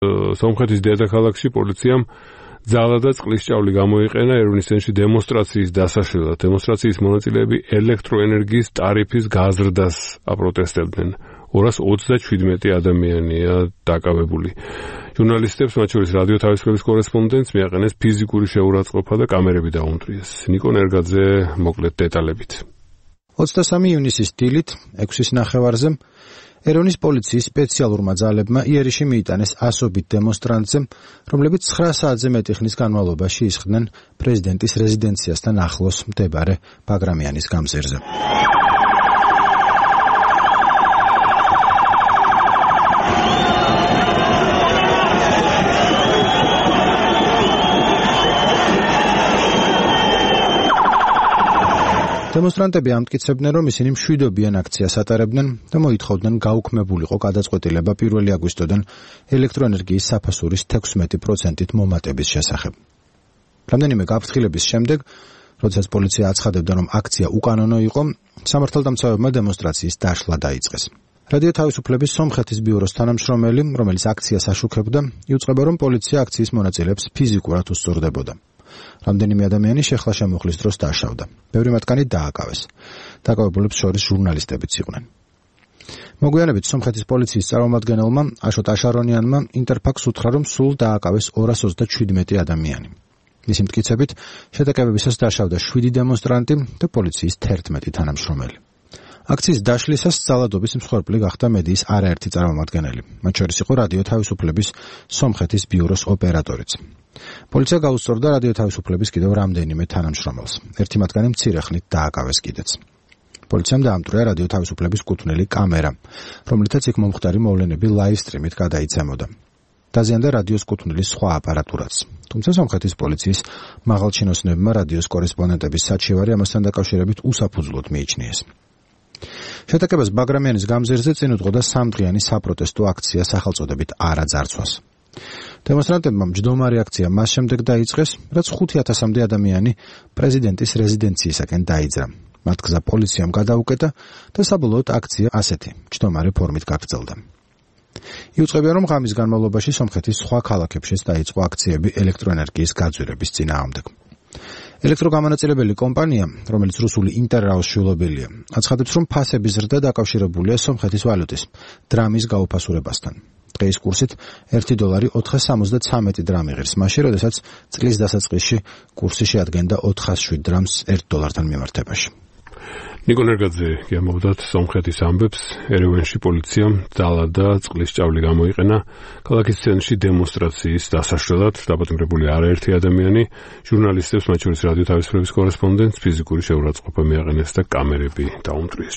სომხეთის დედაქალაქში პოლიციამ ძალა და წყლის ჭავლი გამოიყენა ერევნის ცენტრში დემონსტრაციის დასაშლელად. დემონსტრაციის მონაწილეები ელექტროენერგიის ტარიფის გაზრდას აპროტესტებდნენ. 227 ადამიანია დაკავებული. ჟურნალისტებს, მათ შორის რადიო თავისუფლების კორესპონდენტს მიაყენეს ფიზიკური შეურაცხყოფა და კამერები დაუნტრიეს. ნიკო ნერგაძე მოკლედ დეტალებით. 23 ივნისის დილით 6:30 ერევნის პოლიციის სპეციალურმა ძალებმა იერიში მიიტანეს ასობით დემონსტრანტზე, რომლებიც 9 საათზე მეტი ხნის განმავლობაში ისხდნენ პრეზიდენტის რეზიდენციასთან ახლოს მდებარე ბაგრამიანის გამზირზე. დემონსტრანტები ამტკიცებდნენ, რომ ისინი მშვიდობიან აქციას ატარებდნენ და მოითხოვდნენ გაუქმებულიყო გადაწყვეტილება 1 აგვისტოდან ელექტროენერგიის საფასურის 16%-ით მომატების შესახებ. რამდენიმე გაფრთხილების შემდეგ, როდესაც პოლიცია აცხადებდა, რომ აქცია უკანონო იყო, სამართალდამცავებმა დემონსტრაციის დაშლა დაიწყეს. რადიო თავისუფლების სომხეთის ბიუროს თანამშრომელი, რომელიც აქციას აშუქებდა, იუწყება, რომ პოლიცია აქციის მონაწილეებს ფიზიკურად უსწორდებოდა. რამდენიმე ადამიანი შეხლა შემოხლის დროს დაშავდა. ბევრი მათგანი დააკავეს. დაკავებულებს შორის ჟურნალისტებიც იყვნენ. მოგვიანებით სომხეთის პოლიციის წარმომადგენელმა აშოტ აშარონიანმა ინტერფაქს უთხრა, რომ სულ დააკავეს 227 ადამიანი. მისი მტკიცებით, შეტაკებებისას დაშავდა 7 დემონსტრანტი და პოლიციის 11 თანამშრომელი. აქციის დაშლისას ძალადობის მსხვერპლი გახდა მედიის არაერთი წარმომადგენელი, მათ შორის იყო რადიო თავისუფლების სომხეთის ბიუროს ოპერატორიც. პოლიცია გაუსწორდა რადიო თავისუფლების კიდევ რამდენიმე თანამშრომელს. ერთი მათგანი მცირე ხნით დააკავეს კიდეც. პოლიციამ დაამტვრია რადიო თავისუფლების კუთვნილი კამერა, რომლითაც იქ მომხდარი მოვლენები ლაივ სტრიმით გადაიცემოდა. დაზიანდა რადიოს კუთვნილის სხვა აპარატურაც. თუმცა სომხეთის პოლიციის მაღალჩინოსნებმა რადიოს კორესპონდენტების საჩივარი ამასთან დაკავშირებით უსაფუძვლოდ მიიჩნიეს. შეტაკებას ბაგრამიანის გამზირზე წინ უძღოდა 3დღიანი საპროტესტო აქცია სახელწოდებით არა ძარცვას. დემონსტრანტებმა მჯდომარი აქცია მას შემდეგ დაიწყეს, რაც 5000-მდე ადამიანი პრეზიდენტის რეზიდენციისაკენ დაიძრა. მათ გზა პოლიციამ გადაუკეტა და საბოლოოდ აქცია ასეთი მჯდომარი ფორმით გაგრძელდა. იუწყებია, რომ ღამის განმავლობაში სომხეთის სხვა ქალაქებშიც დაიწყო აქციები ელექტროენერგიის გაძვირების წინააღმდეგ. ელექტროგამონაწილებელი კომპანია, რომელიც რუსული ინტერრაოს შვილობილია, აცხადებს, რომ ფასების ზრდა დაკავშირებულია სომხეთის ვალუტის დრამის გაუფასურებასთან. დღეის კურსით $1 473 დრამი ღირს, მაშინ, როდესაც წლის დასაწყისში კურსი შეადგენდა 407 დრამს $1-თან მიმართებაში. ნიკო ნერგაძე გიამბობდათ სომხეთის ამბებს. ერევანში პოლიციამ ძალა და წყლის ჭავლი გამოიყენა ქალაქის ცენტრში დემონსტრაციის დასაშლელად. დაპატიმრებული არაერთი ადამიანი, ჟურნალისტებს, მათ შორის რადიო თავისუფლების კორესპონდენტს ფიზიკური შეურაცხყოფა მიაყენეს და კამერები დაუნტრიეს.